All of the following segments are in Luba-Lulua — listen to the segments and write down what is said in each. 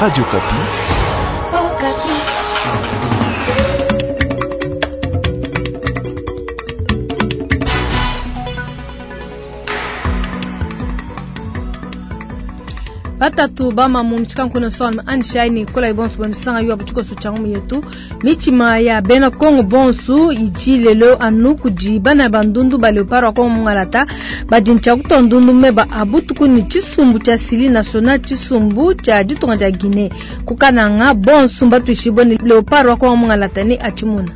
Radio Okapi. Okapi. Batatu bamamu mutshikankuna sona anishaini kola ibonso banisanga yo abuchikoso changu yetu michima ya bena Kongo bonsu iji lelo anu kudi bana bandundu ba leopard wa Kongo mungalata badincha kutondundu meba abutuku ni chisumbu cha sili national chisumbu cha ditunga dia Guinée kukananga bonsu mbatuishibwe ni leopard wa Kongo mungalata ni achimuna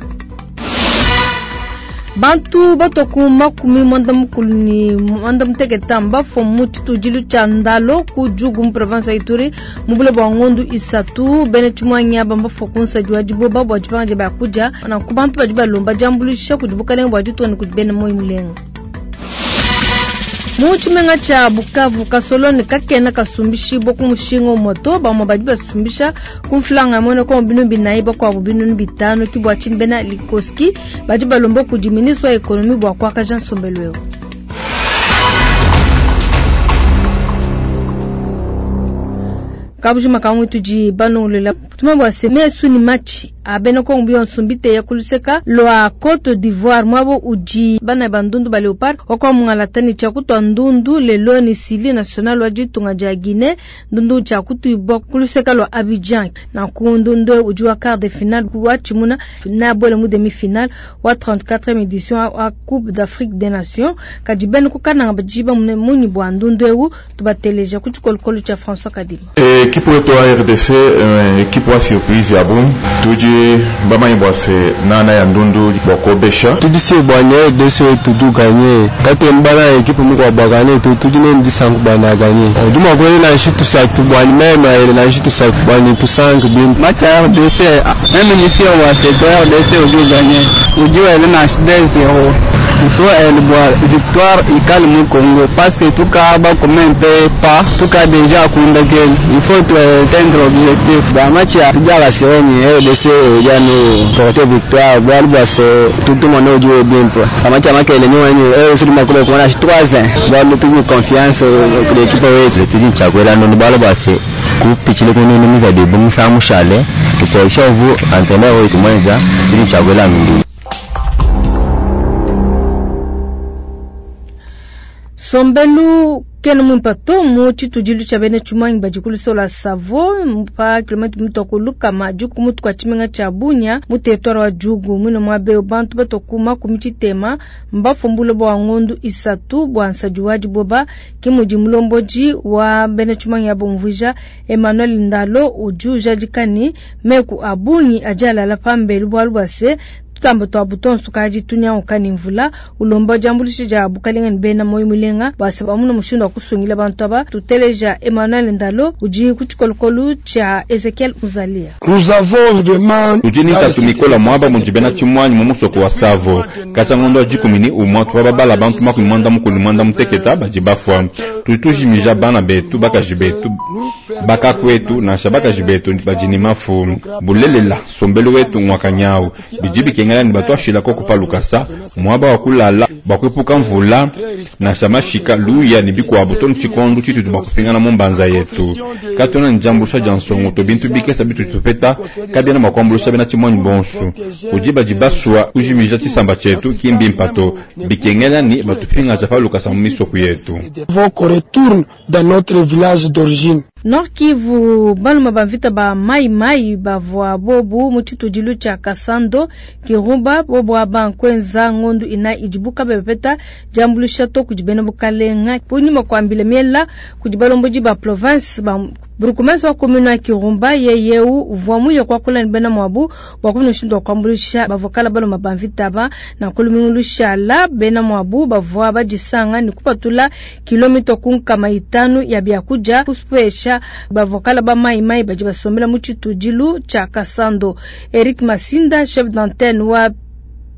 bantu batoku 90 ni 98 mbafomu tshitudilu tshia ndalo ku djugu mu province ya ituri mubule bua ngondu isatu bene tshimwanya bambafua kunsadi wa diboba bua dipanga dia biakudia nanku bantu badi balomba diambuluisha kudi bukalenga bua ditunga ne kudi bena moyi mulenga. Mu tshimenga tshia Bukavu kasolone kakena kasumbishibwa ku mushinga umue to bamue badi basumbisha ku mfulanga muena kongo binu binayi bakuabu binunu bitanu ki bua tshinyi bena likoski badi balomba kudi ministre wa ekonomi bua kuakaja nsombelu eu. Kabujima kamwe tudi banongolela tuma bua se mesu ni matshi a bena Kongo bionso mbiteya kuluseka lwa Cote d'Ivoire mwabo udi bana bandundu ba Leopard wakwa mungalata ni tshia kutua ndundu lelo ni sili national wa ditunga dia Guinée ndundu tshia kutuibwa kuluseka lwa Abidjan na ku ndundu udi wa quart de finale wa tshimuna na bwele mu demi finale wa 34e édition wa Coupe d'Afrique des Nations kadi bena kukananga badiba munyi bua ndundu eu tubateleja ku tshikolokolo tshia François Kadima. Ekipe wetu wa RDC ekipe wa surprise ya bungi tudi bamanyi bua se nana ya ndundu bua kuobesha tudi se bua RDC wetu tu ganye kate mbana ekipe muku bua ganye tu tudi ne ndisangu bua na ganye duma kweli na shitu sa tu bua meme ele na shitu sa bua ni tusangu bin match ya RDC même ici on va se RDC uju ganye uju ele na 2-0 il faut elle boit victoire ikale mu Congo parce que tout cas ba comme un peu pas tout cas déjà kunda gel il faut atteindre objectif ba match ya tujala sioni RDC yani porter victoire bwa bwa se tout le monde joue bien quoi ba match ya makele ni wani eh sur makule kwa 3 ans ba nous tout confiance que l'équipe wetu tudi chakwela ndo bala bwa se kupichile kununu mizabibu musamushale tusaisha uvu antena wetu mwenza tudi chakwela ndo. Sombelu kena mwimpa to mu tshitudilu tshia bena tshimuangi badi ku lusolo lua Savo pa kilomètre mutoko lukama djuku mutu kua tshimenga tshia Bunia mu territoire wa Djugu mwine muaba eu bantu batoku 30 mbafumbule bua ngondu isatu bua nsadi wa diboba ke mudi mulombodi wa bena tshimuangi abo umvuija Emmanuel Ndalo udi ujadika ne meku a bungi adi alala pambelu bualu bua se tutamba twa butonso tukadi tunyanguka ne mvula ulomba diambuluisha dia bukalenga ne bena moyo mulenga bua se bamuna mushindu wa kusungila bantu aba. Tuteleja Emmanuel Ndalo udi ku tshikolokolo tshia Ezekiel Muzalia. Nous avons vraiment tudi ni ntatu mikola muaba mudi bena tshimuanyi mu musoko wa Savo katshia ngondo wa dikumi ni umua tuvua babala bantu 98 badi bafua. Tudi tujimija bana betu bakaji betu bakakuetu nansha bakaji betu badi ne mafu bulelela sombelu wetu ngwakanyau bidi bikengela ni batu ashila koko pa lukasa muaba wa kulala bua kuepuka mvula nansha mashika luya ne bikuabu to tshikondo tshitutu bua kupingana mu mbanza yetu katuena ne diambuluisha dia nsongo to bintu bikesa bitutu tupeta kabiena mua kuambuluisha bena tshimuanyi bonso kudi badi basua kujimija tshisamba tshietu ki mbimpa to bikengela ni batupingaja pa lukasa mu misoko yetu. Qu'on retourne dans notre village d'origine. Nord Kivu baluma bamvita ba mai mai bavua bobu mu tshitudilu tshia Kasando Kirumba bobu aba nkwenza ngondu ina idibuka bepeta diambuluisha to kudi bena bukalenga kunyima kuambila miela kudi balombodi ba province ba Burkumesi wa commune ya Kirumba yeyeu uvua muye kuakula ne bena muabu bua kumona mushindu wa kuambuluisha bavua baluma bamvita aba na kulumingu lushala bena muabu bavua badisanga ne kupatula kilomita ku nkama itanu ya biakudia kusupesha bavua ba mai mai badi basombela mu tshitudilu tshia Kasando. Eric Masinda chef d'antenne wa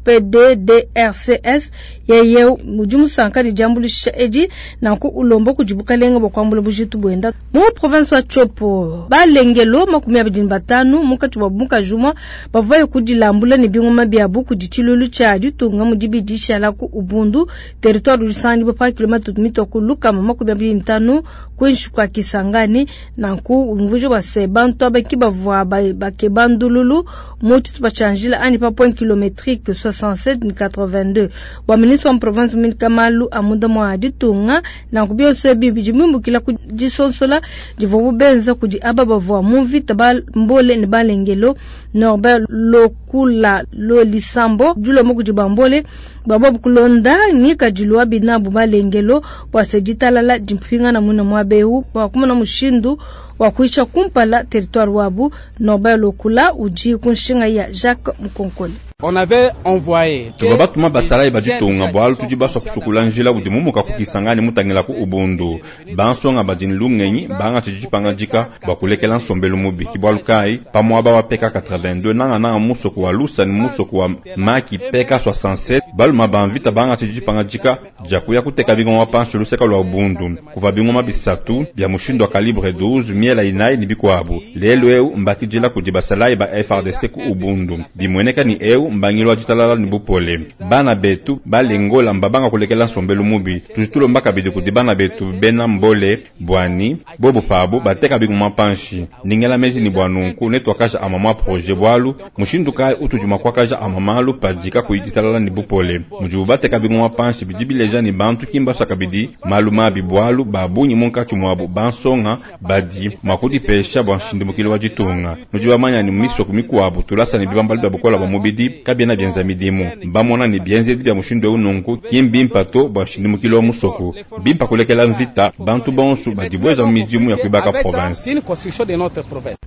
PDDRCS yeye udi musanka ne diambuluisha edi nanku ulomba kudi bukalenga bua kuambula bujitu buenda mu province wa Tshopo. Balengelo 25 munkatshi mua mukaji umue bavua baye kudilambula ne bingoma biabu kudi tshiluilu tshia ditunga mu dibidi shala ku Ubundu, territoire udi usanganyibua pa kilometre mitue ku 125 kuinshi kua Kisangani. Nanku umvuija bua se bantu aba ki bavua bakeba ndululu mu tshitupa tshia njila anyi pa point kilometrique 67 ne 82. Bua ministre wa province muindika malu a munda mua ditunga, nanku bionso ebi bidi biumbukila ku disonsola divuabu benza kudi aba bavua mu mvita ba Mbole ne Balengelo. Norbert Lokula Lolisambo dilomba kudi ba Mbole bua bobu kulonda ngikadilu wa binabu Balengelo bua se ditalala dimpingana muine muaba eu bua kumona mushindu wa kuyisha kumpala territoire wabu. Norbert Lokula udi ku nshinga ya Jacques Mukonkole. On avait envoyé Tuvua batuma basalayi ba ditunga bualu tudi basua kusukula njila udi mumuka ku Kisangani mutangila ku Ubundu. Bansonga badi ne lungenyi bangatshi dipangadika bua kulekela nsombelu mubi. Ke bualu kayi pa muaba wa PK 82 nangananga mu musoko wa Lusa ne mu musoko wa Maki PK 67 baluma ba mvita bangatshi dipangadika dia kuya kuteka bingoma panshi luseka lua Ubundu. Kuvua bingoma bisatu bia mushindu wa calibre 12, miela inayi ne bikuabu. Lelu eu mbakidila kudi basalayi ba FARDC ku Ubundu. Bimueneka ne eu mbangilu wa ditalala ne bupole. Bana betu balengola mbabanga kulekela nsombelu mubi. Tudi tulomba kabidi kudi bana betu bena Mbole buani bobu pabu bateka bingoma panshi. Ndingela meji ne bua nunku netuakaja amua ma projet bualu mushindu kayi utudi mua kuakaja amua malu padi kakuyi ditalala ne bupole. Mudibu bateka bingoma panshi bidi bileja ne bantu ki mbasua kabidi malu mabi bualu ba bungi munkatshi muabu bansonga badi mua kudipesha bua nshindumukilu wa ditunga. Nudi bamanya ne misoko mikuabu tulasa ne bibambalu bia bukola bua mubidi kabiena bienza midimu. Mbamona ne bienzedi bia mushindu eu nunku ki mbimpa to bua nshindumukilu wa musoko. Bimpa kulekela mvita bantu bonso badibueja mu midimu ya kuibaka province. une construction de notre province.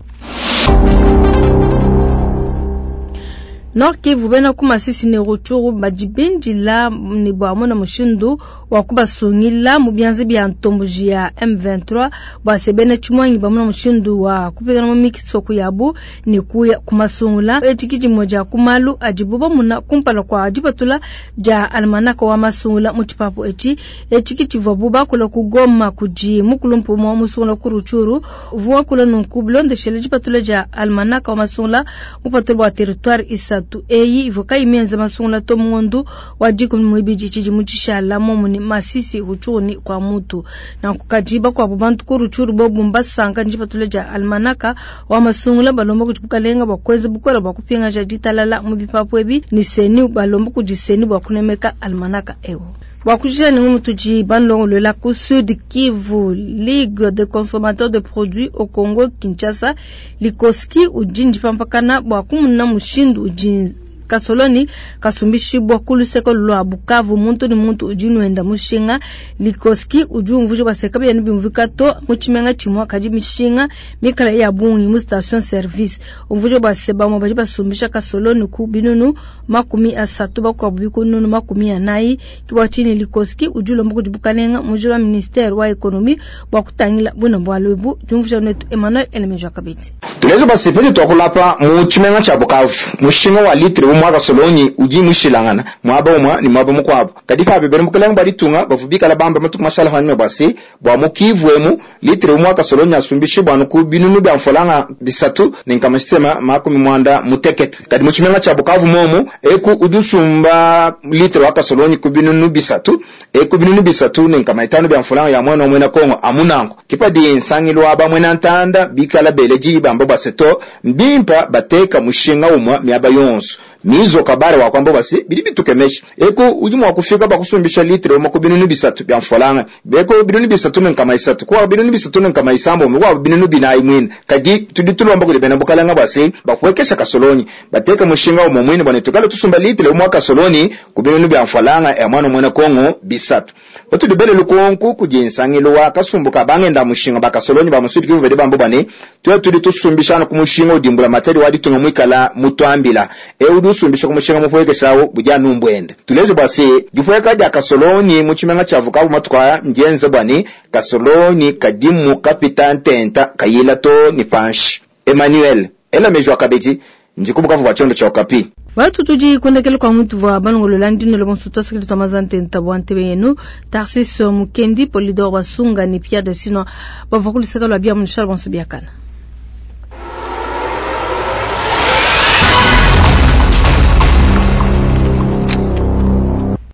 Nord Kivu bena ku Masisi ne Rutshuru badi bindila ne bua mona mushindu wa kubasungila mu bianza bia ntomboji ya M23 bua se bena tshimuangi bamona mushindu wa kupingana mu misoko yabu ne kuya kumasungula. Etshi ki dimue dia ku malu adibu bamona kumpala kua dipatula dia almanaka wa masungula mu tshipapu etshi. Etshi ki tshivuabu bakula ku Goma kudi mukulumpe umue musungula ku Rutshuru uvua wakula nunku bilondeshele dipatula dia almanaka wa masungula mupatula bua territoire isatu eyi ivua kayi mienza masungula to mu ngondo wa 12 tshidimu tshishala momu ne Masisi, Rutshuru ne Kwamouth. Nanku kadi bakuabu bantu ku Rutshuru bobu mbasanka ne dipatula dia almanaka wa masungula balomba kudi bukalenga bua kuenza bukola bua kupingaja ditalala mu bipapu ebi ne seni balomba kudi seni bua kunemeka almanaka eu. Bua kujia ne ngumu tudi bandongoluela ku Sud Kivu, Ligue des consommateurs de produits au Congo Kinshasa, Likoski udi ndipampakana bua kumuna mushindu udi kasoloni kasumbishibwa ku luseke lua Bukavu muntu ne muntu udi nwenda mushinga. Likoski udi umvuija bua se kabiena bimvuika to mu tshimenga tshimue kadi mishinga mikala ya bungi mu station service. Umvuija bua se bamue badi basumbisha kasoloni ku binunu 30 bakuabu bikununu 40. Ke bua tshinyi Likoski udi ulomba kudi bukalenga mujila wa ministère wa économie bua kutangila buna bualu ebu. Diumvuija netu Emmanuel Elemeja kabidi. Tulezo basepete twakulapa mu tshimenga tshia Bukavu mushinga wa litre umwe kasoloni udi mushilangana mwaba umwe ni mwaba mukwabo kadi pa bebere mukalenga bwa ditunga bavubikala bamba matuku mashala hanyuma bwase bwa mukivu emu litre umwe kasoloni asumbishi bwa nuku binunu bya mfolanga bisatu ne nkamasitema 98 kadi mu tshimenga tshia Bukavu momu eku udusumba litre wa kasoloni ku binunu bisatu eku binunu bisatu ne nkamaitano bya mfolanga ya mwana mwena Kongo amunango kipadi nsangilo wa bamwena ntanda bikala beleji bamba bwaseto mbimpa bateka mushinga umwe miaba yonso mizo kabare wa kwamba basi bidi bitukemesha eko udi mwa kufika bakusumbisha litre umwe ku binunu bisatu bya mfolanga beko binunu bisatu ne nkama isatu kwa binunu bisatu ne nkama isambo umwe kwa binunu binayi mwine kadi tudi tulomba kudi bena bukalanga basi bakuwekesha kasoloni bateka mushinga umwe mwine bwana tukale tusumba litre umwe kasoloni ku binunu bya mfolanga ya mwana mwena Kongo bisatu batudibele lukonku kudi nsangilo wa kasumbuka bangenda mushinga bakasoloni ba musudi kivu bede bambo bane tuya tudi tusumbishana ku mushinga udimbula materi waditunga mwikala mutwambila e usumbisha ku mushinga mupuwekeshawo buja numbwende tulezo bwase dipuweka dia kasoloni mu tshimenga tshia Bukavu matuku aya ndienze bwani kasoloni kadimu kapita ntenta kayila to ni panshi. Emmanuel ela mejwa kabedi ndikubukavu bwa tshiondo tshia Okapi. Batu tudi kundekela kwa muntu vwa balongolola ndino bonso twasakili twa mazante ntabwa ntebe yenu Tarsis Mukendi Polidor Basunga ni Pierre Desino bavwa kuluseka lwa bia munishal bonso biakana.